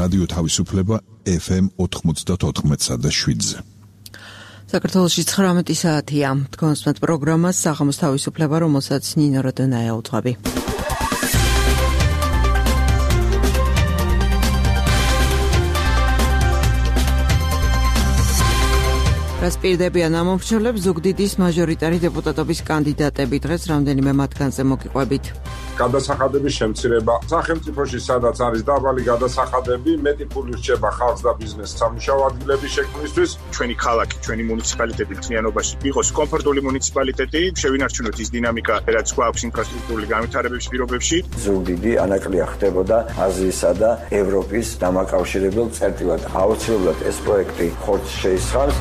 რადიო თავისუფლება FM 94.7-ზე. საქართველოში 19 საათია. თქვენსმეთ პროგრამას საღამოს თავისუფლება, რომელსაც ნინო როდონაია უძღვები. რას პირდებიან ამომრჩევლებს ზუგდიდის მაჟორიტარი დეპუტატობის კანდიდატები დღეს რამდენიმე მათგანზე მოგიყვებით. გადასახადების შემცირება სახელმწიფოში სადაც არის დაბალი გადასახადები, მეტი ფული რჩება ხალხს და ბიზნესს სამუშაო ადგილების შექმნისთვის. ჩვენი ქალაქი, ჩვენი მუნიციპალიტეტი მთლიანობაში იყოს კომფორტული მუნიციპალიტეტი, შევინარჩუნოთ ის დინამიკა, რაც გვაქვს ინფრასტრუქტურული განვითარების პირობებში. ზუგდიდი ანაკლია ხდებოდა აზიისა და ევროპის დამაკავშირებელ წერტილად. აუცილებლად ეს პროექტი ხორცს შეისხამს.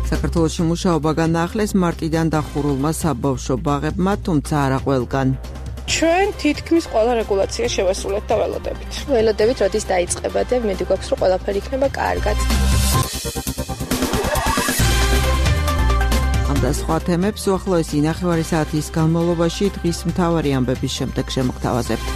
საქართველოში მუშაობა განაახლეს მარტიდან დახურულმა საბავშვო ბაღებმა, თუმცა არა ყველგან. ჩვენ თითქმის ყველა რეგულაცია შევასრულეთ და ველოდებით. ველოდებით როდის დაიწყება და მედი გვაქვს რომ ყველაფერი იქნება კარგად. ამ და სხვა თემებს უახლოესი ნახევარი საათის განმავლობაში დღის მთავარი ამბების შემდეგ შემოგთავაზებთ.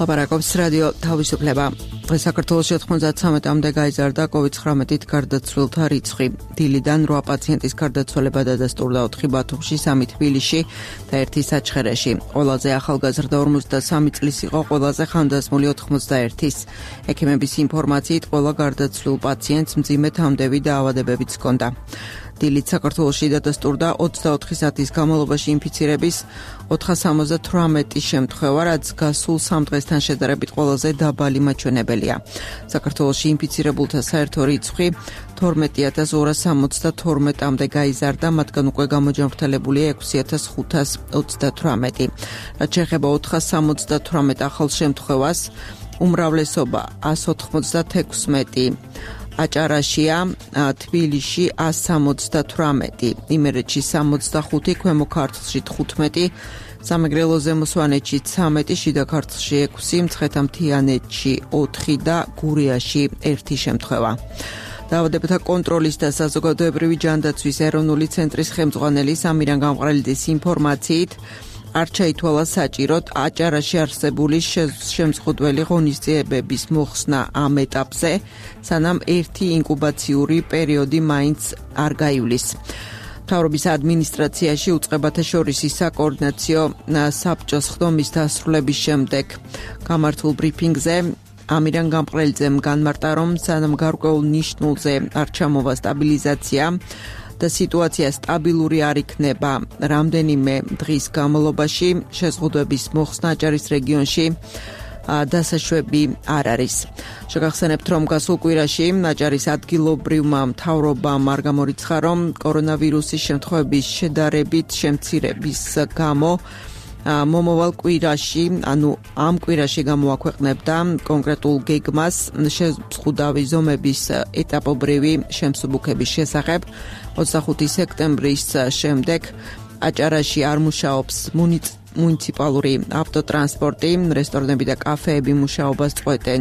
ლაპარაკობს რადიო თავისუფლება. საქართველოში 93-მდე გაიზარდა COVID-19-ით გარდაცვლილთა რიცხვი. დილიდან 8 პაციენტის გარდაცვალება დადასტურდა 4 ბათუმში, 3 თბილისში და 1 საჩხერეში. ყველაზე ახალგაზრდა 53 წლის იყო, ყველაზე ხანდაზმული 91-ის. ექიმების ინფორმაციით ყველა გარდაცვლილ პაციენტს მძიმე თამდევი დაავადებებიც ჰქონდა. დილით საქართველოში დადასტურდა 24 საათის განმავლობაში ინფიცირების 478 შემთხვევა, რაც გასულ 3 დღესთან შედარებით ყველაზე დაბალი მაჩვენებელია. საქართველოში ინფიცირებულთა საერთო რიცხვი 12262-მდე გაიზარდა, მათგან უკვე გამოჯანმრთელებულია 6538. რაც შეეხება 478 ახალ შემთხვევას, უმრავლესობა 196 აჭარაშია, თბილისში 178, იმერეთში 65, ქვემო ქართლში 15, სამეგრელო ზემო სვანეთში 13, შიდა ქართლში 6, მცხეთა-მთიანეთში 4 და გურიაში 1 შემთხვევა. დაავადებათა კონტროლის და საზოგადოებრივი ჯანდაცვის ეროვნული ცენტრის ხელმძღვანელი სამირან გამყრელიძის ინფორმაციით არ ჩაითვალა საჭიროდ აჭარაში არსებული შემზღუდველი ღონისძიებების მოხსნა ამ ეტაპზე, სანამ ერთი ინკუბაციური პერიოდი მაინც არ გაივლის. მთავრობის ადმინისტრაციაში უწყებათა შორისი საკოორდინაციო საბჭოს ხდომის დასრულების შემდეგ გამართულ ბრიფინგზე ამირან გამყრელიძემ განმარტა, რომ სანამ გარკვეულ ნიშნულზე არ ჩამოვა სტაბილიზაცია და სიტუაცია სტაბილური არ იქნება რამდენიმე დღის განმავლობაში, შეზღუდვების მოხსნა აჭარის რეგიონში დასაშვები არ არის. შეგახსენებთ, რომ გასულ კვირაში აჭარის ადგილობრივმა მთავრობამ არ გამორიცხა, რომ კორონავირუსის შემთხვევების შედარებით შემცირების გამო მომავალ კვირაში, ანუ ამ კვირაში გამოაქვეყნებდა კონკრეტულ გეგმას შეზღუდავი ზომების ეტაპობრივი შემსუბუქების შესახებ. 25 სექტემბრის შემდეგ აჭარაში არ მუშაობს მუნიციპალური ავტოტრანსპორტი, რესტორნები და კაფეები მუშაობას წყვეტენ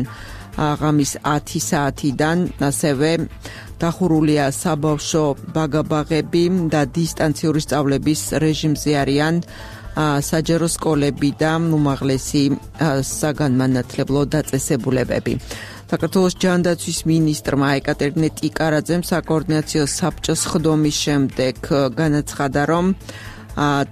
ღამის 10 საათიდან, ასევე დახურულია საბავშვო ბაგაბაღები და დისტანციური სწავლების რეჟიმზე არიან საჯარო სკოლები და უმაღლესი საგანმანათლებლო დაწესებულებები. საქართველოს ჯანდაცვის მინისტრმა ეკატერინე ტიკარაძემ საკოორდინაციო საბჭოს ხდომის შემდეგ განაცხადა, რომ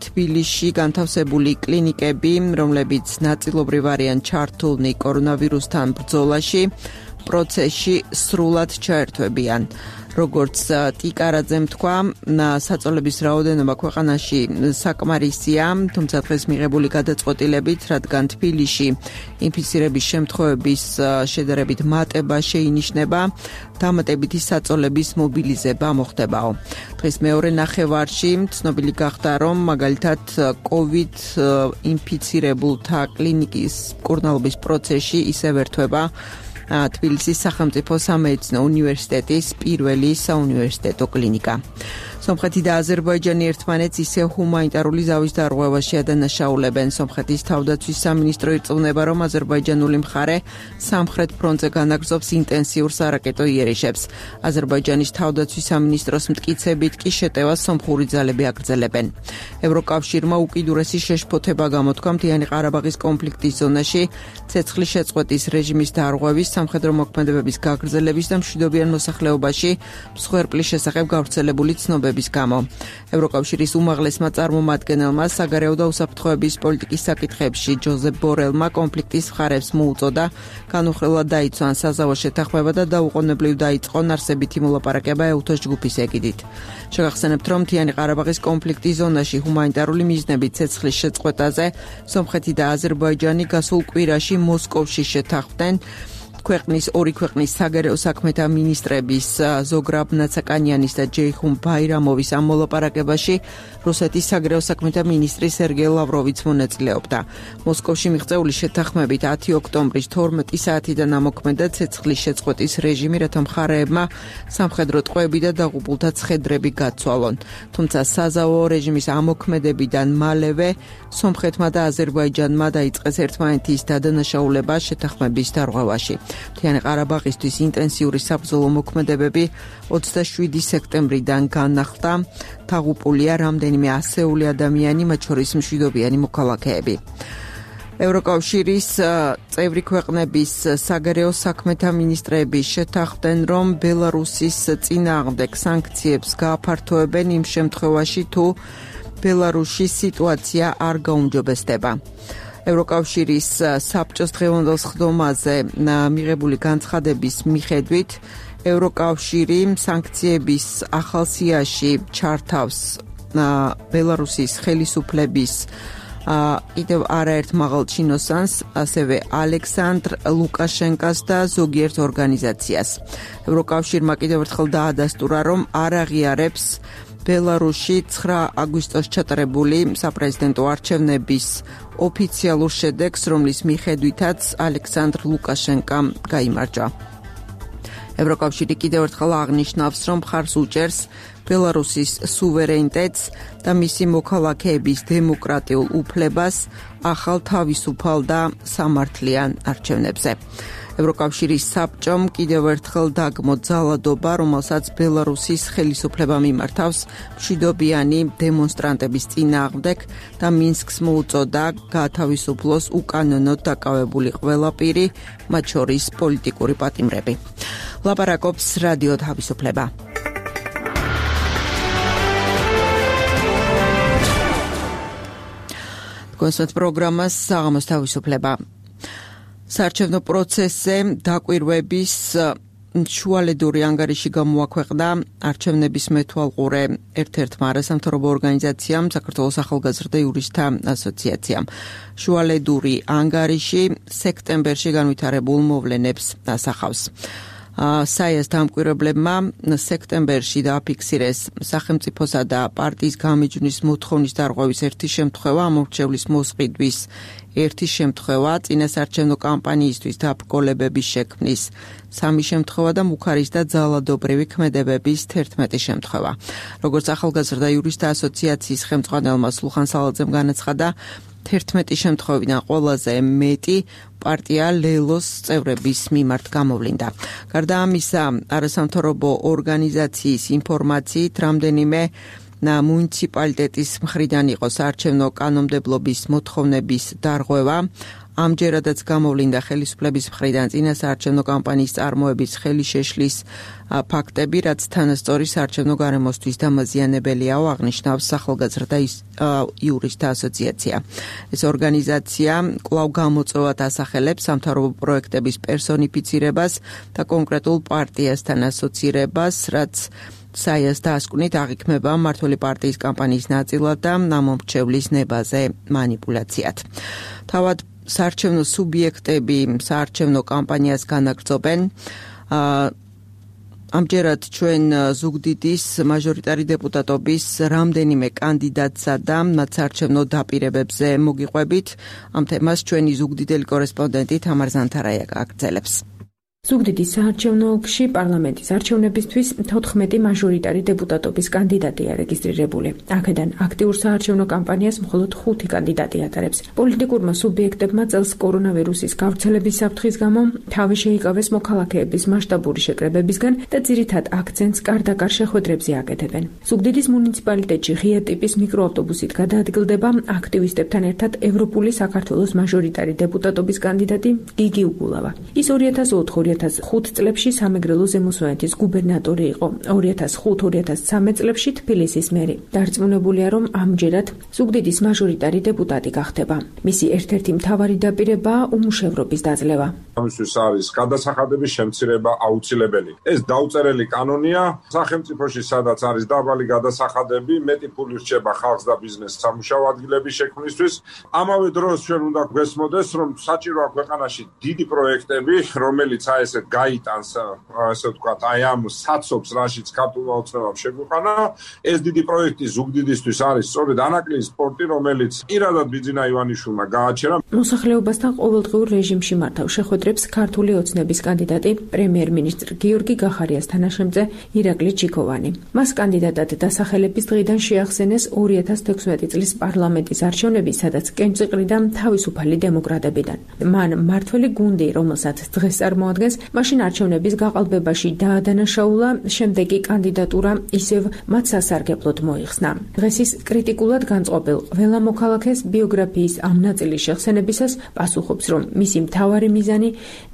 თბილისში განთავსებული კლინიკები, რომლებიც ნაწილობრივ არიან ჩართულნი კორონავირუსთან ბრძოლაში, პროცესში სრულად ჩაერთვებიან. როგორც ტიკარაძემ თქვა, საწოლების რაოდენობა ქვეყანაში საკმარისია, თუმცა დღეს მიღებული გადაწყვეტილებით, რადგან თბილისში ინფიცირების შემთხვევების შედარებით მატება შეინიშნება, დამატებითი საწოლების მობილიზება მოხდებაო. დღეს მეორე ნახევარში ცნობილი გახდა, რომ მაგალითად COVID ინფიცირებულთა კლინიკის მკურნალობის პროცესში ისევ ერთვება თბილისის სახელმწიფო სამედიცინო უნივერსიტეტის პირველი საუნივერსიტეტო კლინიკა. სომხეთი და აზერბაიჯანი ერთმანეთს ისევ ჰუმანიტარული ზავის დარღვევაში ადანაშაულებენ. სომხეთის თავდაცვის სამინისტრო ირწმუნება, რომ აზერბაიჯანული მხარე სამხრეთ ფრონტზე განაგრძობს ინტენსიურ სარაკეტო იერიშებს. აზერბაიჯანის თავდაცვის სამინისტროს მტკიცებით კი შეტევას სომხური ძალები აგრძელებენ. ევროკავშირმა უკიდურესი შეშფოთება გამოთქვა მთიანი ყარაბაღის კონფლიქტის ზონაში ცეცხლის შეწყვეტის რეჟიმის დარღვევის, სამხედრო მოქმედებების გაგრძელების და მშვიდობიან მოსახლეობაში მსხვერპლის შესახებ გავრცელებული ცნობების გამო. ევროკავშირის უმაღლესმა წარმომადგენელმა საგარეო და უსაფრთხოების პოლიტიკის საკითხებში ჯოზეფ ბორელმა კონფლიქტის მხარებს მოუწოდა განუხრელად დაიცვან საზავო შეთანხმება და დაუყოვნებლივ დაიწყონ არსებითი მოლაპარაკება ეუთოს ჯგუფის ეგიდით. შეგახსენებთ, რომ მთიანი ყარაბაღის კონფლიქტის ზონაში ჰუმანიტარული მიზნებით ცეცხლის შეწყვეტაზე სომხეთი და აზერბაიჯანი გასულ კვირაში მოსკოვში შეთანხმდნენ. ორი ქვეყნის საგარეო საქმეთა მინისტრების ზოგრაბ ნაცაკანიანის და ჯეიხუმ ბაირამოვის ამ მოლაპარაკებაში რუსეთის საგარეო საქმეთა მინისტრი სერგეი ლავროვიც მონაწილეობდა. მოსკოვში მიღწეული შეთანხმებით 10 ოქტომბრის 12 საათიდან ამოქმედა ცეცხლის შეწყვეტის რეჟიმი, რათა მხარეებმა სამხედრო ტყვეები და დაღუპულთა ცხედრები გაცვალონ. თუმცა საზავო რეჟიმის ამოქმედებიდან მალევე სომხეთმა და აზერბაიჯანმა დაიწყეს ერთმანეთის დადანაშაულება შეთანხმების დარღვევაში. მთიანი ყარაბაღისთვის ინტენსიური საბრძოლო მოქმედებები 27 სექტემბრიდან განახლდა. დაღუპულია რამდენიმე ასეული ადამიანი, მათ შორის მშვიდობიანი მოქალაქეები. ევროკავშირის წევრი ქვეყნების საგარეო საქმეთა მინისტრები შეთანხმდნენ, რომ ბელარუსის წინააღმდეგ სანქციებს გააფართოებენ იმ შემთხვევაში, თუ ბელარუსის სიტუაცია არ გაუმჯობესდება. ევროკავშირის საბჭოს დღევანდელ სხდომაზე მიღებული განცხადების მიხედვით ევროკავშირი სანქციების ახალ სიაში ჩართავს ბელარუსის ხელისუფლების კიდევ არაერთ მაღალ ჩინოსანს, ასევე ალექსანდრ ლუკაშენკას და ზოგიერთ ორგანიზაციას. ევროკავშირმა კიდევ ერთხელ დაადასტურა, რომ არ აღიარებს ბელარუსში 9 აგვისტოს ჩატარებული საპრეზიდენტო არჩევნების ოფიციალურ შედეგს, რომლის მიხედვითაც ალექსანდრ ლუკაშენკამ გაიმარჯვა. ევროკავშირი კიდევ ერთხელ აღნიშნავს, რომ მხარს უჭერს ბელარუსის სუვერენიტეტს და მისი მოქალაქეების დემოკრატიულ უფლებას ახალ თავისუფალ და სამართლიან არჩევნებზე. ევროკავშირის საბჭომ კიდევ ერთხელ დაგმო ძალადობა, რომელსაც ბელარუსის ხელისუფლება მიმართავს მშვიდობიანი დემონსტრანტების წინააღმდეგ და მინსკს მოუწოდა გაათავისუფლოს უკანონოდ დაკავებული ყველა პირი, მათ შორის პოლიტიკური პატიმრები. ლაპარაკობს რადიო თავისუფლება. კონსერტ პროგრამას საღამოს თავისუფლება. საარჩევნო პროცესზე დაკვირვების შუალედური ანგარიში გამოაქვეყნა არჩევნების მეთვალყურე ერთ-ერთმა არასამთავრობო ორგანიზაციამ, საქართველოს ახალგაზრდა იურისტთა ასოციაციამ. შუალედური ანგარიში სექტემბერში განვითარებულ მოვლენებს ასახავს. საიას დამკვირვებლებმა სექტემბერში დააფიქსირეს სახელმწიფოსა და პარტიის გამიჯვნის მოთხოვნის დარღვევის ერთი შემთხვევა, ამორჩევლის მოსყიდვის ერთი შემთხვევა, წინასაარჩევნო კამპანიისთვის დაბრკოლებების შექმნის 3 შემთხვევა და მუხარის და ძალადობრივი ქმედებების 11 შემთხვევა. როგორც ახალგაზრდა იურისტთა ასოციაციის ხელმძღვანელმა სულხან სალაძემ განაცხადა, 11 შემთხვევიდან ყველაზე მეტი პარტია ლელოს წევრების მიმართ გამოვლინდა. გარდა ამისა, არასამთავრობო ორგანიზაციის ინფორმაციით, რამდენიმე მუნიციპალიტეტის მხრიდან იყო საარჩევნო კანონმდებლობის მოთხოვნების დარღვევა. ამჯერადაც გამოვლინდა ხელისუფლების მხრიდან წინასაარჩევნო კამპანიის წარმოების ხელი შეშლის ფაქტები, რაც თანასწორი საარჩევნო გარემოსთვის დამაზიანებელიაო, აღნიშნავს ახალგაზრდა იურისტთა ასოციაცია. ეს ორგანიზაცია კვლავ გამოწვევად ასახელებს სამთავრობო პროექტების პერსონიფიცირებას და კონკრეტულ პარტიასთან ასოცირებას, რაც საიას დაასკვნით აღიქმება მმართველი პარტიის კამპანიის ნაწილად და ამომრჩევლის ნებაზე მანიპულაციად. თავად საარჩევნო სუბიექტები საარჩევნო კამპანიას განაგრძობენ. ამჯერად ჩვენ ზუგდიდის მაჟორიტარი დეპუტატობის რამდენიმე კანდიდატსა და მათ საარჩევნო დაპირებებზე მოგიყვებით. ამ თემას ჩვენი ზუგდიდელი კორესპონდენტი თამარ ზანთარაია გააგრძელებს. ზუგდიდის საარჩევნო ოლქში პარლამენტის არჩევნებისთვის 14 მაჟორიტარი დეპუტატობის კანდიდატია რეგისტრირებული. აქედან აქტიურ საარჩევნო კამპანიას მხოლოდ 5 კანდიდატი ატარებს. პოლიტიკურმა სუბიექტებმა წელს კორონავირუსის გავრცელების საფრთხის გამო თავი შეიკავეს მოქალაქეების მასშტაბური შეკრებებისგან და ძირითად აქცენტს კარდაკარ შეხვედრებზე აკეთებენ. ზუგდიდის მუნიციპალიტეტში ღია ტიპის მიკროავტობუსით გადაადგილდება აქტივისტებთან ერთად ევროპული საქართველოს მაჟორიტარი დეპუტატობის კანდიდატი გიგი უგულავა. ის 2004-2005 წლებში სამეგრელო ზემოსვანეთის გუბერნატორი იყო. 2005-2013 წლებში თბილისის მერი. დარწმუნებულია, რომ ამჯერად ზუგდიდის მაჟორიტარი დეპუტატი გახდება. მისი ერთ-ერთი მთავარი დაპირებაა უმუშევრობის დაძლევა. ამისთვის არის გადასახადების შემცირება აუცილებელი. ეს დაუწერელი კანონია სახელმწიფოში, სადაც არის დაბალი გადასახადები, მეტი ფული რჩება ხალხს და ბიზნესს სამუშაო ადგილების შექმნისთვის. ამავე დროს ჩვენ უნდა გვესმოდეს, რომ საჭიროა ქვეყანაში დიდი პროექტები, რომელიც ესეთ გაიტანს, ასე ვთქვათ, აი ამ საცობს, რაშიც ქართულმა ოცნებამ შეგვიყვანა. ეს დიდი პროექტი ზუგდიდისთვის არის სწორედ ანაკლის სპორტი, რომელიც პირადად ბიძინა ივანიშვილმა გააჩერა. მოსახლეობასთან ყოველდღიურ რეჟიმში მართავ შეხვედრებს ქართული ოცნების კანდიდატი პრემიერ-მინისტრ გიორგი გახარიას თანაშემწე ირაკლი ჩიქოვანი. მას კანდიდატად დასახელების დღიდან შეახსენეს 2016 წლის პარლამენტის არჩევნები, სადაც კენჭიყრიდა თავისუფალი დემოკრატებიდან. მან მმართველი გუნდი, რომელსაც დღეს წარმოადგენს, მაშინ არჩევნების გაყალბებაში დაადანაშაულა, შემდეგ კი კანდიდატურა ისევ მათ სასარგებლოდ მოიხსნა. დღეს ის კრიტიკულად განწყობილ ყველა მოქალაქეს ბიოგრაფიის ამ ნაწილის შეხსენებისას პასუხობს, რომ მისი მთავარი მიზანი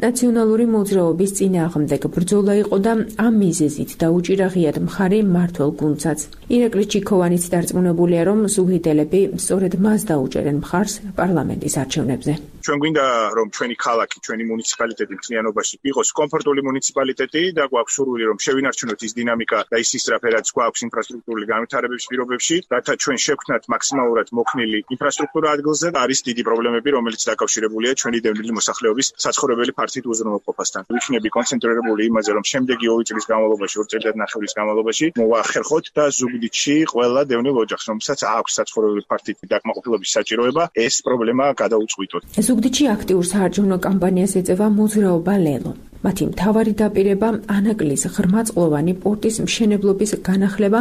ნაციონალური მოძრაობის წინააღმდეგ ბრძოლა იყო და ამ მიზეზით დაუჭირა ღიად მხარი მმართველ გუნდსაც. ირაკლი ჩიქოვანიც დარწმუნებულია, რომ ზუგდიდელები სწორედ მას დაუჭერენ მხარს პარლამენტის არჩევნებზე. ჩვენ გვინდა, რომ ჩვენი ქალაქი, ჩვენი მუნიციპალიტეტი მთლიანობაში იყოს კომფორტული მუნიციპალიტეტი და გვაქვს სურვილი, რომ შევინარჩუნოთ ის დინამიკა და ის ისწრაფედაც გვაქვს ინფრასტრუქტურული განვითარების პირობებში, რათა ჩვენ შევქმნათ მაქსიმალურად მოქნილი ინფრასტრუქტურა ადგილზე. არის დიდი პრობლემები, რომელიც დაკავშირებულია ჩვენი დევნილი მოსახლეობის საცხოვრებელი ფართით უზრუნველყოფასთან. ვიქნები კონცენტრირებული იმაზე, რომ შემდეგი 2 წლის განმავლობაში, 2 წელიწადნახევრის განმავლობაში მოვახერხოთ და ზუგდიდში ყველა დევნილ ოჯახს, რომელსაც აქვს საცხოვრებელი ფართით დაკმაყოფილების საჭიროება, ეს პრობლემა გადაუწყვიტოთ. ზუგდიდში აქტიურ საარჩევნო კამპანიას ეწევა მოძრაობა ლელო. მათი მთავარი დაპირება ანაკლის ღრმაწყლოვანი პორტის მშენებლობის განახლება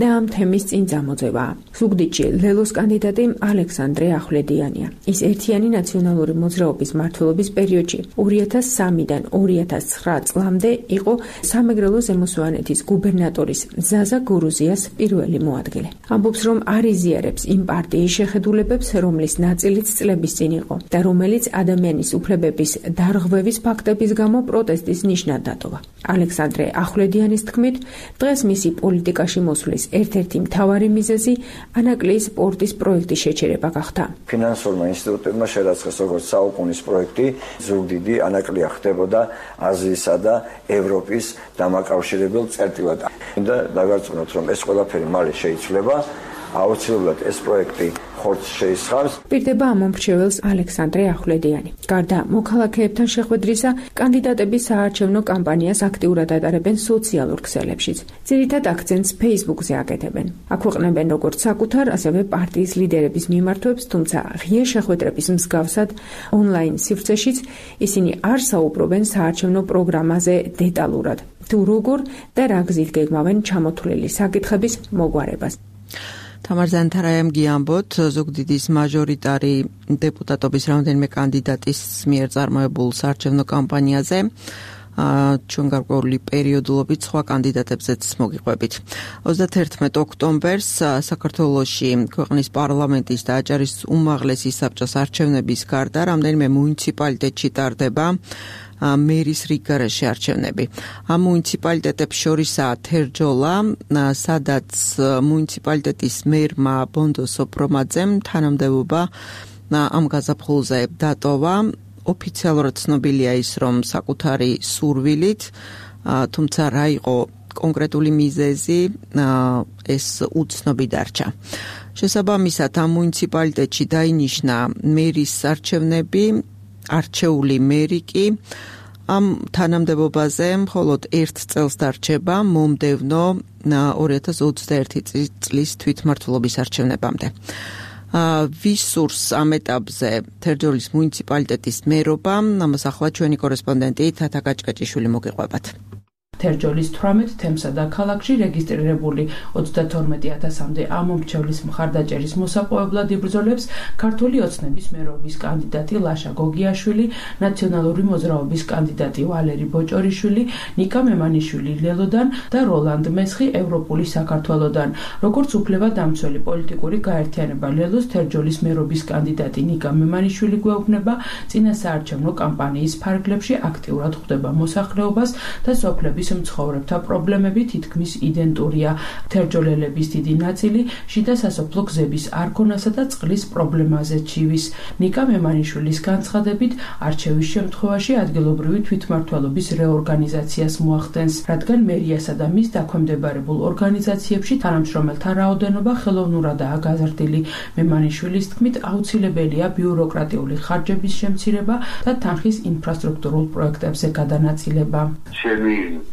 და ამ თემის წინ წამოწევაა. ზუგდიდში ლელოს კანდიდატი ალექსანდრე ახვლედიანია. ის ერთიანი ნაციონალური მოძრაობის მმართველობის პერიოდში 2003-დან 2009 წლამდე იყო სამეგრელო ზემოსვანეთის გუბერნატორის ზაზა გურუზიას პირველი მოადგილე. ამბობს, რომ არ იზიარებს იმ პარტიის შეხედულებებს, რომლის ნაწილიც წლების წინ იყო და რომელიც ადამიანის უფლებების დარღვევის ფაქტების გამო პროტესტის ნიშნად დატოვა. ალექსანდრე ახვლედიანის თქმით, დღეს მისი პოლიტიკაში მოსვლის ერთ-ერთი მთავარი მიზეზი ანაკლის პორტის პროექტის შეჩერება გახდა. ფინანსურმა ინსტიტუტებმა შერაცხეს როგორც საუკუნის პროექტი, ზუგდიდი ანაკლია ხდებოდა აზიისა და ევროპის დამაკავშირებელ წერტილად. და დაგარწმუნოთ, რომ ეს ყველაფერი მალე შეიცვლება. აუცილებლად ეს პროექტი ხორცს შეისხავს. პირდება ამომრჩეველს ალექსანდრე ახვლედიანი. გარდა მოქალაქეებთან შეხვედრისა, კანდიდატები საარჩევნო კამპანიას აქტიურად ატარებენ სოციალურ ქსელებშიც. ძირითად აქცენტს Facebook-ზე აკეთებენ. აქვეყნებენ როგორც საკუთარ, ასევე პარტიის ლიდერების მიმართვებს, თუმცა ღია შეხვედრების მსგავსად ონლაინ სივრცეშიც ისინი არ საუბრობენ საარჩევნო პროგრამაზე დეტალურად. თუ როგორ და რა გზით გეგმავენ ჩამოთვლილი საკითხების მოგვარებას. თამარ ზანთარაიამ გიამბოთ ზუგდიდის მაჟორიტარი დეპუტატობის რამდენიმე კანდიდატის მიერ წარმოებულ საარჩევნო კამპანიაზე ჩვენ გარკვეული პერიოდულობით სხვა კანდიდატებზეც მოგიყვებით. 31 ოქტომბერს საქართველოში ქვეყნის პარლამენტის და აჭარის უმაღლესი საბჭოს არჩევნების გარდა რამდენიმე მუნიციპალიტეტში ტარდება მერის რიგგარეშე არჩევნები. ამ მუნიციპალიტეტებს შორისაა თერჯოლა, სადაც მუნიციპალიტეტის მერმა ბონდო სოპრომაძემ თანამდებობა ამ გაზაფხულზე დატოვა. ოფიციალურად ცნობილია ის, რომ საკუთარი სურვილით, თუმცა რა იყო კონკრეტული მიზეზი, ეს უცნობი დარჩა. შესაბამისად, ამ მუნიციპალიტეტში დაინიშნა მერის არჩევნები, არჩეული მერი კი ამ თანამდებობაზე მხოლოდ 1 წელს დარჩება მომდევნო 2021 წლის თვითმმართველობის არჩევნებამდე. ვის სურს ამ ეტაპზე თერჯოლის მუნიციპალიტეტის მერობა? ამას ახლა ჩვენი კორესპონდენტი თათა კაჭკაჭიშვილი მოგიყვებათ. თერჯოლის 18 თემსა და ქალაქში რეგისტრირებული 32,000-მდე ამომრჩევლის მხარდაჭერის მოსაპოვებლად იბრძოლებს ქართული ოცნების მერობის კანდიდატი ლაშა გოგიაშვილი, ნაციონალური მოძრაობის კანდიდატი ვალერი ბოჭორიშვილი, ნიკა მემანიშვილი ლელოდან და როლანდ მესხი ევროპული საქართველოდან. როგორც უფლებადამცველი პოლიტიკური გაერთიანება ლელოს თერჯოლის მერობის კანდიდატი ნიკა მემანიშვილი გვეუბნება, წინასაარჩევნო კამპანიის ფარგლებში აქტიურად ხვდება მოსახლეობას და სოფლების მცხოვრებთა პრობლემები თითქმის იდენტურია. თერჯოლელების დიდი ნაწილი შიდა სასოფლო გზების არქონასა და წყლის პრობლემაზე ჩივის. ნიკა მემანიშვილის განცხადებით, არჩევის შემთხვევაში ადგილობრივი თვითმმართველობის რეორგანიზაციას მოახდენს, რადგან მერიასა და მის დაქვემდებარებულ ორგანიზაციებში თანამშრომელთა რაოდენობა ხელოვნურადაა გაზრდილი. მემანიშვილის თქმით, აუცილებელია ბიუროკრატიული ხარჯების შემცირება და თანხის ინფრასტრუქტურულ პროექტებზე გადანაწილება.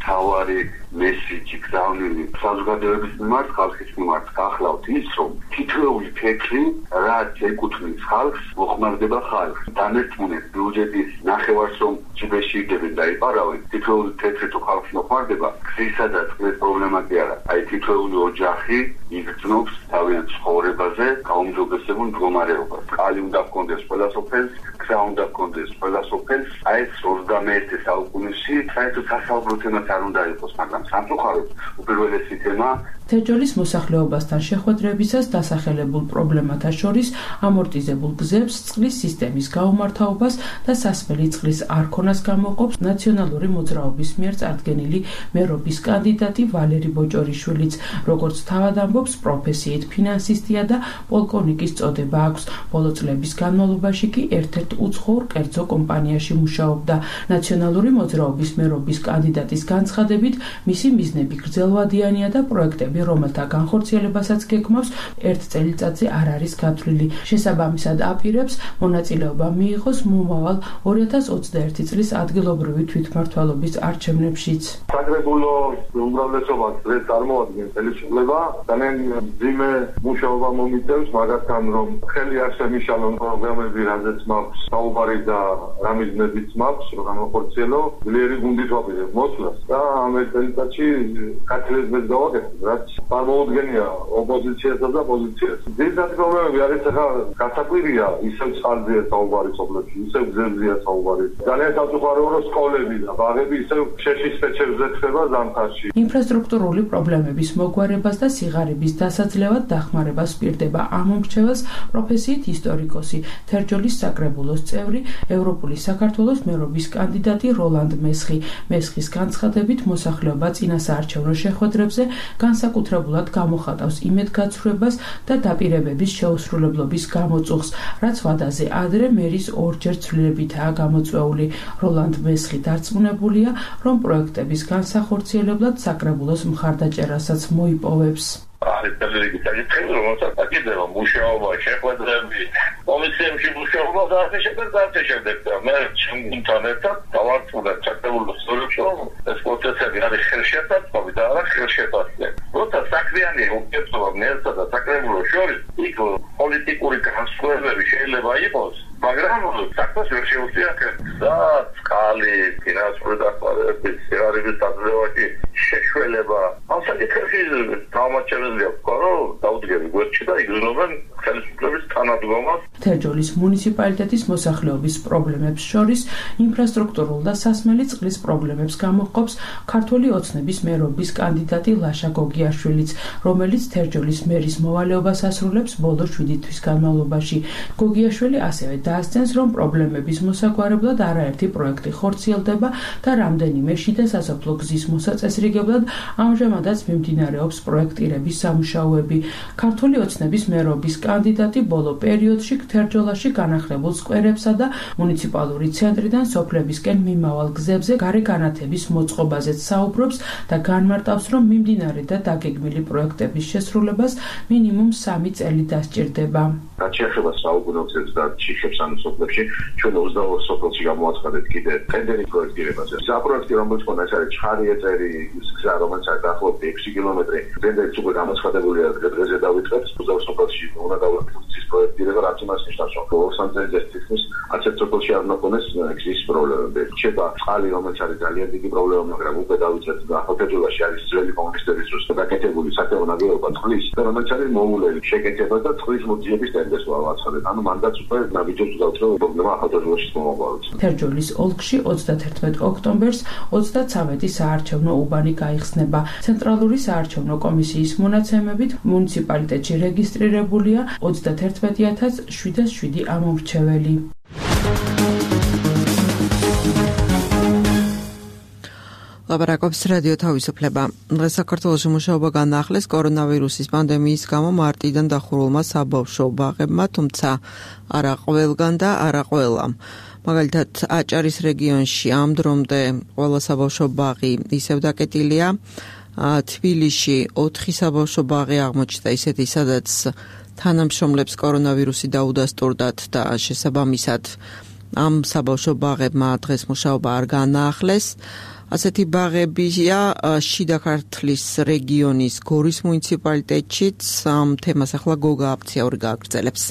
თავარი მესიჯი გზავნილი საზოგადოების მიმართ, ხალხის მიმართ გახლავთ ის, რომ თითოეული ფიქრი, რაც ეკუთვნის ხალხს, მოხმარდება ხალხს. დამერწმუნეთ ბიუჯეტის ნახევარს, რომ ჯიბეში იგებენ და იპარავენ, თითოეული ფიქრი თუ ხალხს მოხმარდება, გზისა და წყლის პრობლემა კი არა. აი თითოეული ოჯახი იგრძნობს თავიანთ ცხოვრებაზე გაუმჯობესებულ მდგომარეობას. კალი უნდა ჰქონდეს ყველა სოფელს, გზა უნდა ჰქონდეს ყველა სოფელს. აი ეს 21 საუკუნეში საერთოდ სასაუბრო თემაც არ უნდა იყოს, მაგრამ სამწუხაროდ უპირველესი თემა თერჯოლის მოსახლეობასთან შეხვედრებისას დასახელებულ პრობლემათა შორის ამორტიზებულ გზებს, წყლის სისტემის გაუმართავობას და სასმელი წყლის არქონას გამოყოფს ნაციონალური მოძრაობის მიერ წარდგენილი მერობის კანდიდატი ვალერი ბოჭორიშვილიც. როგორც თავად ამბობს, პროფესიით ფინანსისტია და პოლკოვნიკის წოდება აქვს. ბოლო წლების განმავლობაში კი ერთ-ერთ უცხოურ კერძო კომპანიაში მუშაობდა. ნაციონალური მოძრაობის მერობის კანდიდატის განცხადებით, მისი მიზნები გრძელვადიანია და პროექტები, რომელთა განხორციელებასაც გეგმავს, ერთ წელიწადზე არ არის გათვლილი. შესაბამისად აპირებს მონაწილეობა მიიღოს მომავალ 2021 წლის ადგილობრივი თვითმმართველობის არჩევნებშიც. საკრებულო უმრავლესობას დღეს წარმოადგენს ხელისუფლება, ძალიან ძიმე მუშაობა მომიწევს, მაგათთან რომ ხელი არ შემიშალონ პროგრამები, რაზეც მაქვს საუბარი და რა მიზნებიც მაქვს, რომ განხორციელო, ძლიერი გუნდით ვაპირებ მოსვლას და ამ წელიწადში გათვლილებას გავაკეთებ, რაც წარმოუდგენია ოპოზიციასა და პოზიციას. ძირითადი პრობლემები არის ახლა გასაკვირია, ისევ წყალზეა საუბარი სოფლებში, ისევ გზებზეა საუბარი. ძალიან საზღვაოა, რომ სკოლები და ბაღები ისევ შეშის ფეჩებზე ხდება ზამთარში. ინფრასტრუქტურული პრობლემების მოგვარებას და სიღარიბის დასაძლევად დახმარებას პირდება ამომრჩეველს პროფესიით ისტორიკოსი, თერჯოლის საკრებულოს წევრი, ევროპული საქართველოს მერობის კანდიდატი როლანდ მესხი. მესხის განცხადებით, მოსახლეობა წინასაარჩევნო შეხვედრებზე განსაკუთრებულად გამოხატავს იმედგაცრუებას და დაპირებების შეუსრულებლობის გამოწუხს, რაც ვადაზე ადრე მერის ორჯერ ცვლილებითაა გამოწვეული. როლანდ მესხი დარწმუნებულია, რომ პროექტების განსახორციელებლად საკრებულოს მხარდაჭერასაც მოიპოვებს. არის ძალიან საკითხი, რომელსაც აკეთება მუშაობა, შეხვედრები, კომისიებში მუშაობა და ასე შემდეგ. მე ჩემთან ერთად დავარწმუნებ საკრებულოს წევრებს, რომ ეს პროცესები არის ხელშეწირული და არა ხელშეწირული. როცა საქმიანი ურთიერთობა მერსა და საკრებულოს შორის, იქ პოლიტიკური განსხვავებები შეიძლება იყოს, მაგრამ საქმეს ვერ შეუძლია და წყალი, ფინანსური დახმარება, სიღარიბის დაძლევაში შეშველება. ამ საკითხებში თავმოჩერებელია ვქო, დაუდგები გვერდში და იგრძნობენ ხელისუფლების თანადგომას. თერჯოლის მუნიციპალიტეტის მოსახლეობის პრობლემებს შორის ინფრასტრუქტურულ და სასმელი წყლის პრობლემებს გამოჰყოფს ქართული ოცნების მერობის კანდიდატი ლაშა გოგიაშვილიც, რომელიც თერჯოლის მერის მოვალეობას ასრულებს ბოლო 7 თვის განმავლობაში. გოგიაშვილი ასევე დაასწენს, რომ პრობლემების მოსაგვარებლად არაერთი პროექტი ხორციელდება და რამდენიმე შიდა სასოფლო გზის მოსაწესრიგებლად ამჟამადაც მიმდინარეობს პროექტირების სამუშაოები. ქართული ოცნების მერობის კანდიდატი ბოლო პერიოდში თერჯოლაში განახლებულ სკვერებსა და მუნიციპალური ცენტრიდან სოფლებისკენ მიმავალ გზებზე გარე განათების მოწყობაზეც საუბრობს და განმარტავს, რომ მიმდინარე და დაგეგმილი პროექტების შესრულებას მინიმუმ 3 წელი დასჭირდება. რაც შეეხება საუბრობს და ჩიხებს ამ სოფლებში, ჩვენ 22 სოფელში გამოაცხადეთ კიდე ტენდერი პროექტირებაზე. საპროექტი რომელიც ხონდა ეს არის ჩხარი ეტერი, გზა რომელიც არის დაახლოებით 6 კილომეტრი, ტენდერიც უკვე გამოცხადებულია დღეზე დავიწყეთ ხერხებს უზავსოფელში უნდა გავაკეთოს პროექტი და რაც იმას ნიშნავს რომ ლოს-ანჯელესის თითქმის 10 სოფელში არ ნაკონეს გზის პრობლემები. შეება წყალი რომელიც არის ძალიან დიდი პრობლემა, მაგრამ უკვე დავიწყეთ ახალგაზრდობაში არის ძველი კომუნისტების დროს გაკეთებული სათეო ნაგებობა წყლის და რომელიც არის მოულელი შეკეთება და წყლის მოძიების ტენდენს ვაცხადეთ. ანუ მანდაც უკვე ნაბიჯებს დავწერო პრობლემა ახალგაზრდობაში მომავალს. თერჯოლის ოლქში 31 ოქტომბერს 33 საარჩევნო უბანი გაიხსნება. ცენტრალური საარჩევნო კომისიის მონაცემებით მუნიციპალიტეტში რეგისტრირებულია 31707 ამომრჩეველი. ლაპარაკობს რადიო თავისუფლება. დღეს საქართველოში მუშაობა განაახლეს კორონავირუსის პანდემიის გამო მარტიდან დახურულმა საბავშვო ბაღებმა, თუმცა არა ყველგან და არა ყველამ. მაგალითად, აჭარის რეგიონში ამ დრომდე ყველა საბავშვო ბაღი ისევ დაკეტილია. თბილისში 4 საბავშვო ბაღი აღმოჩნდა ისეთი, სადაც თანამშრომლებს კორონავირუსი დაუდასტურდათ და შესაბამისად ამ საბავშვო ბაღებმა დღეს მუშაობა არ განაახლეს. ასეთი ბაღებია შიდა ქართლის რეგიონის გორის მუნიციპალიტეტშიც. ამ თემას ახლა გოგა აფციაური გააგრძელებს.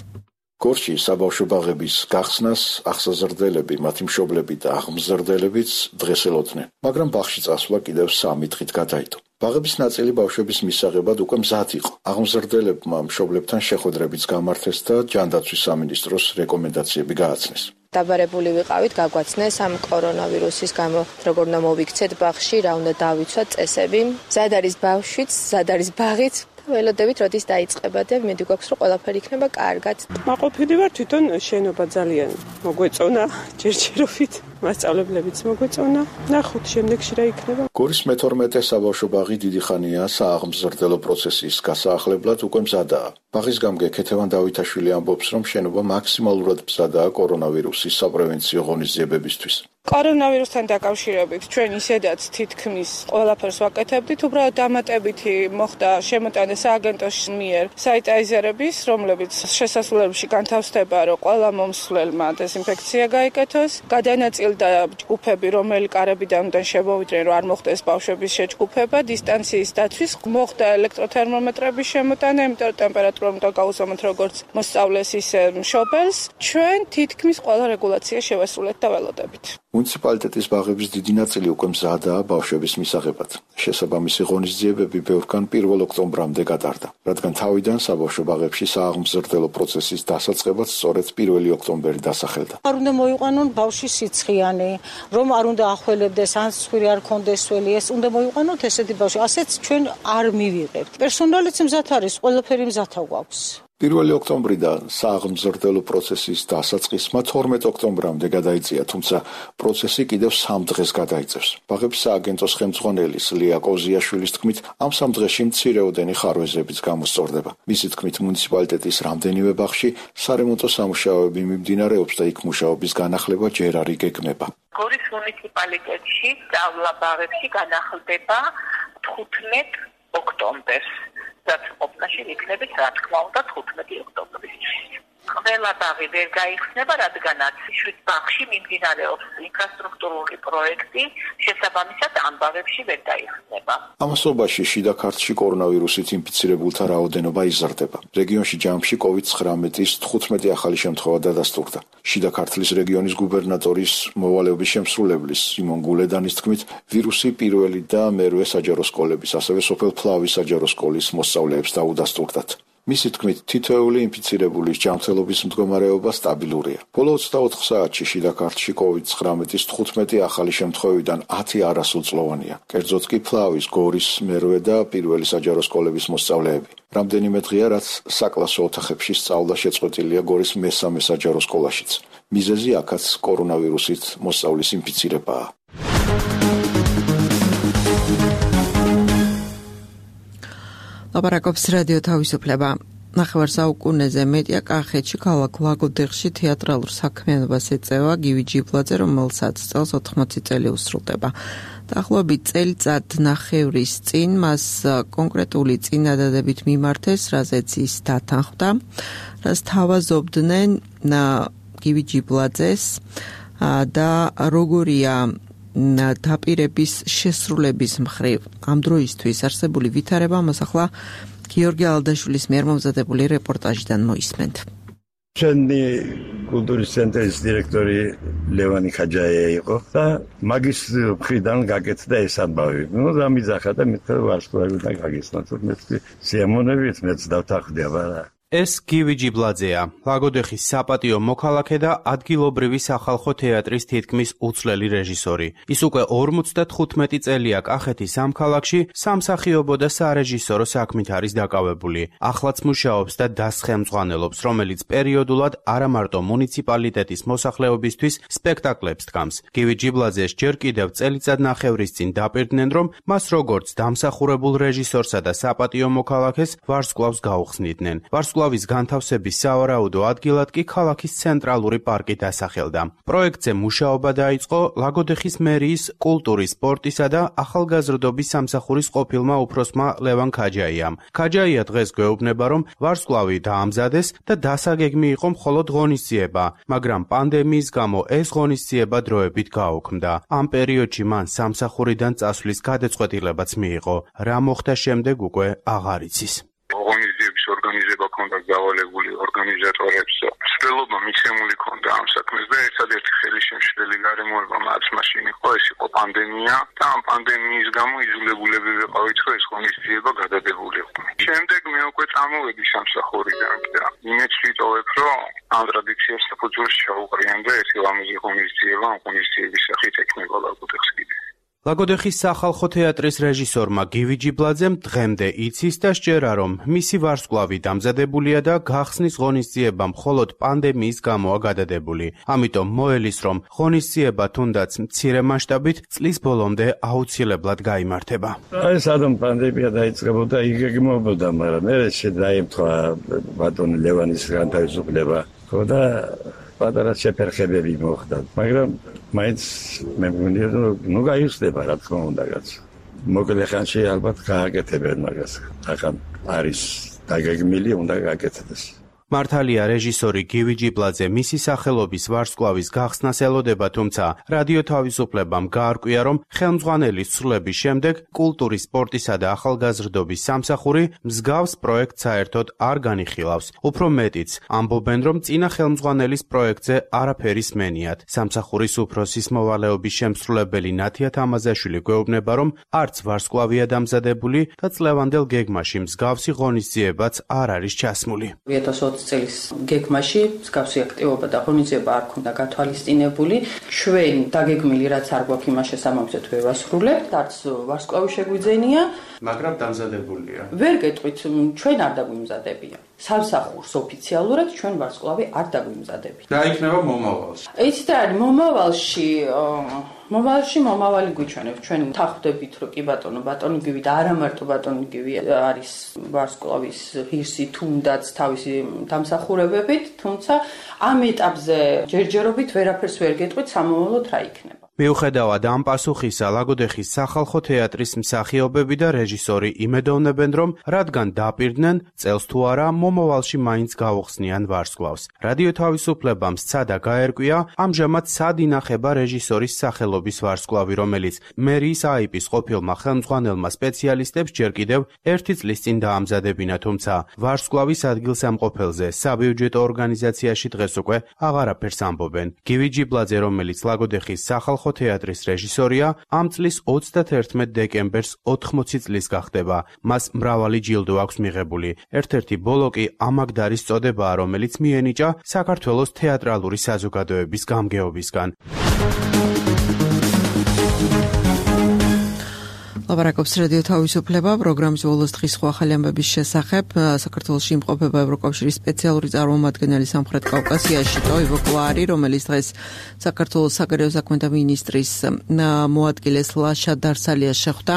გორში საბავშვო ბაღების გახსნას აღსაზრდელები, მათი მშობლები და აღმზრდელებიც დღეს ელოდნენ, მაგრამ ბაღში წასვლა კიდევ 3 დღით გადაიდო. ბაღების ნაწილი ბავშვების მისაღებად უკვე მზად იყო. აღმზრდელებმა მშობლებთან შეხვედრებიც გამართეს და ჯანდაცვის სამინისტროს რეკომენდაციები გააცნეს. დაბარებული ვიყავით, გაგვაცნეს ამ კორონავირუსის გამო როგორ უნდა მოვიქცეთ ბაღში, რა უნდა დავიცვათ წესები. მზად არის ბავშვიც, მზად არის ბაღიც. ველოდებით როდის დაიწყება და მედი გვაქვს რომ ყველაფერი იქნება კარგად. მაყოფილი ვარ თვითონ შენობა ძალიან მოგვეწონა ჯერჯერობით, მასწავლებლებიც მოგვეწონა. ნახოთ შემდეგში რა იქნება. გორის მე-12 საბავშვო ბაღი დიდი ხანია სააღმზრდელო პროცესის გასაახლებლად უკვე მზადაა. ბაღის გამგე ქეთევან დავითაშვილი ამბობს, რომ შენობა მაქსიმალურად მზადაა კორონავირუსის საპრევენციო ღონისძიებებისთვის. კორონავირუსთან დაკავშირებით ჩვენ ისედაც თითქმის ყველაფერს ვაკეთებდით, უბრალოდ დამატებითი მოხდა შემოტანა სააგენტოს მიერ საიტაიზერების, რომლებიც შესასვლელებში განთავსდება, რომ ყველა მომსვლელმა დეზინფექცია გაიკეთოს. გადანაწილდა ჯგუფები, რომელი კარებიდან უნდა შემოვიდნენ, რომ არ მოხდეს ბავშვების შეჯგუფება, დისტანციის დაცვის, მოხდა ელექტროთერმომეტრების შემოტანა, იმიტომ რომ ტემპერატურა უნდა გაუზომოთ როგორც მოსწავლეს, ისე მშობელს. ჩვენ თითქმის ყველა რეგულაცია შევასრულეთ და ველოდებით. მუნიციპალიტეტის ბაღების დიდი ნაწილი უკვე მზადაა ბავშვების მისაღებად. შესაბამისი ღონისძიებები ბევრგან 1 ოქტომბრამდე გატარდა, რადგან თავიდან საბავშვო ბაღებში სააღმზრდელო პროცესის დასაწყებად სწორედ 1 ოქტომბერი დასახელდა. არ უნდა მოიყვანონ ბავშვი სიცხიანი, რომ არ უნდა ახველებდეს, ან სხვირი არ კონდეს ველი, ეს უნდა მოიყვანოთ ესეთი ბავშვი. ასეც ჩვენ არ მივიღებთ. პერსონალიც მზად არის, ყველაფერი მზათა გვაქვს. 1 ოქტომბრიდან სააღმზრდელო პროცესის დასაწყისმა 12 ოქტომბრამდე გადაიწია, თუმცა პროცესი კიდევ 3 დღეს გადაიწევს. ბაღების სააგენტოს ხელმძღვანელის ლია კოზიაშვილის თქმით, ამ 3 დღეში მცირეოდენი ხარვეზებიც გამოსწორდება. მისი თქმით, მუნიციპალიტეტის რამდენიმე ბაღში სარემონტო სამუშაოები მიმდინარეობს და იქ მუშაობის განახლება ჯერ არ იგეგმება. გორის მუნიციპალიტეტში სწავლა ბაღებში განახლდება 15 ოქტომბერს. რაც ყოფნაში იქნებით, რა თქმა უნდა, 15 ოქტომბერისთვის. ყველა ბაღი ვერ გაიხსნება, რადგანაც 7 ბაღში მიმდინარეობს ინფრასტრუქტურული პროექტი, შესაბამისად ამ ბაღებში ვერ გაიხსნება. ამასობაში შიდა ქართლში კორონავირუსით ინფიცირებულთა რაოდენობა იზრდება. რეგიონში ჯამში COVID-19-ის 15 ახალი შემთხვევა დადასტურდა. შიდა ქართლის რეგიონის გუბერნატორის მოვალეობის შემსრულებლის სიმონ გულედანის თქმით, ვირუსი პირველი და მერვე საჯარო სკოლების, ასევე სოფელ ფლავის საჯარო სკოლის მოსწავლეებს დაუდასტურდათ. მისი თქმით, თითოეული ინფიცირებულის ჯანმრთელობის მდგომარეობა სტაბილურია. ბოლო 24 საათში შიდა ქართლში COVID-19-ის 15 ახალი შემთხვევიდან 10 არასრულწლოვანია. კერძოდ კი ფლავის, გორის, მერვე და პირველი საჯარო სკოლების მოსწავლეები. რამდენიმე დღეა, რაც საკლასო ოთახებში სწავლა შეწყვეტილია გორის მესამე საჯარო სკოლაშიც. მიზეზი აქაც კორონავირუსით მოსწავლის ინფიცირებაა. ლაპარაკობს რადიო თავისუფლება. ნახევარ საუკუნეზე მეტია კახეთში ქალაქ ლაგოდეხში თეატრალურ საქმიანობას ეწევა გივი ჯიბლაძე, რომელსაც წელს 80 წელი უსრულდება. დაახლოებით წელიწად ნახევრის წინ მას კონკრეტული წინადადებით მიმართეს, რაზეც ის დათანხმდა, რაც თავაზობდნენ გივი ჯიბლაძეს და როგორია დაპირების შესრულების მხრივ ამ დროისთვის არსებული ვითარება, მას ახლა გიორგი ალდაშვილის მიერ მომზადებული რეპორტაჟიდან მოისმენთ. ჩვენი კულტურის ცენტრის დირექტორი ლევანი ხაჯაია იყო და მაგის მხრიდან გაკეთდა ეს ამბავი. დამიძახა და მithra ვარსკვლავი და გაგისნა. თუმცა სიამოვნებით მეც დავთანხმდი, მაგრამ ეს გივი ჯიბლაძეა, ლაგოდეხის საპატიო მოქალაქე და ადგილობრივი სახალხო თეატრის თითქმის უცვლელი რეჟისორი. ის უკვე 55 წელია კახეთის ამ ქალაქში სამსახიობო და სარეჟისორო საქმით არის დაკავებული. ახლაც მუშაობს და დასხემძღვანელობს, რომელიც პერიოდულად არა მარტო მუნიციპალიტეტის მოსახლეობისთვის სპექტაკლებს დგამს. გივი ჯიბლაძეს ჯერ კიდევ წელიწადნახევრის წინ დაპირდნენ, რომ მას როგორც დამსახურებულ რეჟისორსა და საპატიო მოქალაქეს ვარსკვლავს გაუხსნიდნენ. ვარსკვლავის განთავსების სავარაუდო ადგილად კი ქალაქის ცენტრალური პარკი დასახელდა. პროექტზე მუშაობა დაიწყო ლაგოდეხის მერიის კულტურის, სპორტისა და ახალგაზრდობის სამსახურის ყოფილმა უფროსმა ლევან ხაჯაიამ. ხაჯაია დღეს გვეუბნება, რომ ვარსკვლავი დაამზადეს და დასაგეგმი იყო მხოლოდ ღონისძიება, მაგრამ პანდემიის გამო ეს ღონისძიება დროებით გაუქმდა. ამ პერიოდში მან სამსახურიდან წასვლის გადაწყვეტილებაც მიიღო. რა მოხდა შემდეგ უკვე აღარ იცის. ღონისძიების ორგანიზება ქონდა გავალებული ორგანიზატორებს. ცდილობა მიცემული ქონდა ამ საქმეს და ერთადერთი ხელისშემშლელი გარემოება მათ მაშინ იყო, ეს იყო პანდემია და ამ პანდემიის გამო იძულებულები ვიყავით, რომ ეს ღონისძიება გადადებულიყო. შემდეგ მე უკვე წამოვედი სამსახურიდან და იმედს ვიტოვებ, რომ ამ ტრადიციას საფუძველს ჩაუყრიან და ერთი ლამაზი ღონისძიება ამ ღონისძიების სახით ექნება ლაგოდეხს კიდე. ლაგოდეხის სახალხო თეატრის რეჟისორმა გივი ჯიბლაძემ დღემდე იცის და სჯერა, რომ მისი ვარსკვლავი დამზადებულია და გახსნის ღონისძიება მხოლოდ პანდემიის გამოა გადადებული. ამიტომ მოელის, რომ ღონისძიება თუნდაც მცირე მასშტაბით წლის ბოლომდე აუცილებლად გაიმართება. სანამ პანდემია დაიწყებოდა, იგეგმებოდა, მაგრამ მე შეdaimთხვა ბატონი ლევანის განთავისუფლება. და პატარა შეფერხებები მოხდა, მაგრამ მაინც მე მგონია, რომ გაიხსნება, რა თქმა უნდა, რაც მოკლე ხანში ალბათ გააკეთებენ მაგას. ახლა არის დაგეგმილი, უნდა გააკეთდეს. მართალია რეჟისორი გივი ჯიბლაძე მისი სახელობის ვარსკვლავის გახსნას ელოდება, თუმცა რადიო თავისუფლებამ გაარკვია, რომ ხელმძღვანელის ცვლილების შემდეგ კულტურის, სპორტისა და ახალგაზრდობის სამსახური მსგავს პროექტს საერთოდ არ განიხილავს. უფრო მეტიც, ამბობენ, რომ წინა ხელმძღვანელის პროექტზე არაფერი სმენიათ. სამსახურის უფროსის მოვალეობის შემსრულებელი ნათია თამაზაშვილი გვეუბნება, რომ არც ვარსკვლავია დამზადებული და წლევანდელ გეგმაში მსგავსი ღონისძიებაც არ არის ჩასმული. 2020 წლის გეგმაში მსგავსი აქტივობა და ღონისძიება არ ქონდა გათვალისწინებული. ჩვენ დაგეგმილი რაც არ გვაქვს იმას შესაბამისად ვერ ვასრულებთ, არც ვარსკვლავი შეგვიძენია, მაგრამ დამზადებულია. ვერ გეტყვით, ჩვენ არ დაგვიმზადებია. სამსახურს ოფიციალურად ჩვენ ვარსკვლავი არ დაგვიმზადებია. რა იქნება მომავალში? იცით რა, მომავალი გვიჩვენებს. ჩვენ თანხმდებით, რომ კი ბატონი გივი და არა მარტო ბატონი გივი არის ვარსკვლავის ღირსი თუნდაც თავისი დამსახურებებით, თუმცა ამ ეტაპზე ჯერჯერობით ვერაფერს ვერ გეტყვით, სამომავლოდ რა იქნება. მიუხედავად ამ პასუხისა, ლაგოდეხის სახალხო თეატრის მსახიობები და რეჟისორი იმედოვნებენ, რომ რადგან დაპირდნენ, წელს თუ არა მომავალში მაინც გაუხსნიან ვარსკვლავს. რადიო თავისუფლებამ სცადა გაერკვია, ამჟამად სად ინახება რეჟისორის სახელობის ვარსკვლავი, რომელიც მერიის აიპის ყოფილმა ხელმძღვანელმა სპეციალისტებს ჯერ კიდევ 1 წლის წინ დაამზადებინა, თუმცა ვარსკვლავის ადგილსამყოფელზე საბიუჯეტო ორგანიზაციაში დღეს უკვე აღარაფერს ამბობენ. გივი ჯიბლაძე, რომელიც ლაგოდეხის სახალხო თეატრის რეჟისორია, ამ წლის 31 დეკემბერს 80 წლის გახდება. მას მრავალი ჯილდო აქვს მიღებული. ერთ-ერთი ბოლო კი ამაგდარის წოდებაა, რომელიც მიენიჭა საქართველოს თეატრალური საზოგადოების გამგეობისგან. ლაპარაკობს რადიო თავისუფლება, პროგრამის ბოლოს დღის სხვა ახალი ამბების შესახებ. საქართველოში იმყოფება ევროკავშირის სპეციალური წარმომადგენელი სამხრეთ კავკასიაში ტოივო კლარი, რომელიც დღეს საქართველოს საგარეო საქმეთა მინისტრის მოადგილეს ლაშა დარსალიას შეხვდა.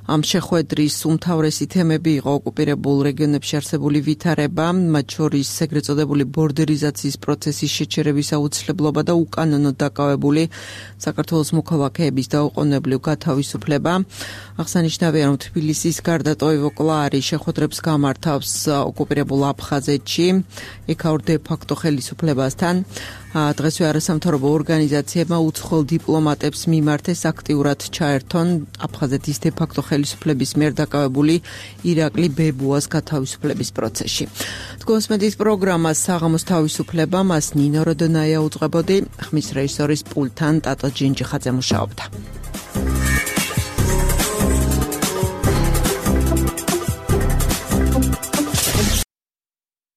ამ შეხვედრის უმთავრესი თემები იყო ოკუპირებულ რეგიონებში არსებული ვითარება, მათ შორის ეგრეთ წოდებული ბორდერიზაციის პროცესის შეჩერების აუცილებლობა და უკანონოდ დაკავებული საქართველოს მოქალაქეების დაუყოვნებლივ გათავისუფლება. აღსანიშნავია, რომ თბილისის გარდა ტოივო კლარი შეხვედრებს გამართავს ოკუპირებულ აფხაზეთში, იქაურ დე ფაქტო ხელისუფლებასთან. დღესვე არასამთავრობო ორგანიზაციებმა უცხოელ დიპლომატებს მიმართეს აქტიურად ჩაერთონ აფხაზეთის დე-ფაქტო ხელისუფლების მიერ დაკავებული ირაკლი ბებუას გათავისუფლების პროცესში. თქვენსმენთ პროგრამას საღამოს თავისუფლება, მას ნინო როდონაია უძღვებოდი, ხმის რეჟისორის პულტთან ტატო ჯინჯიხაძე მუშაობდა.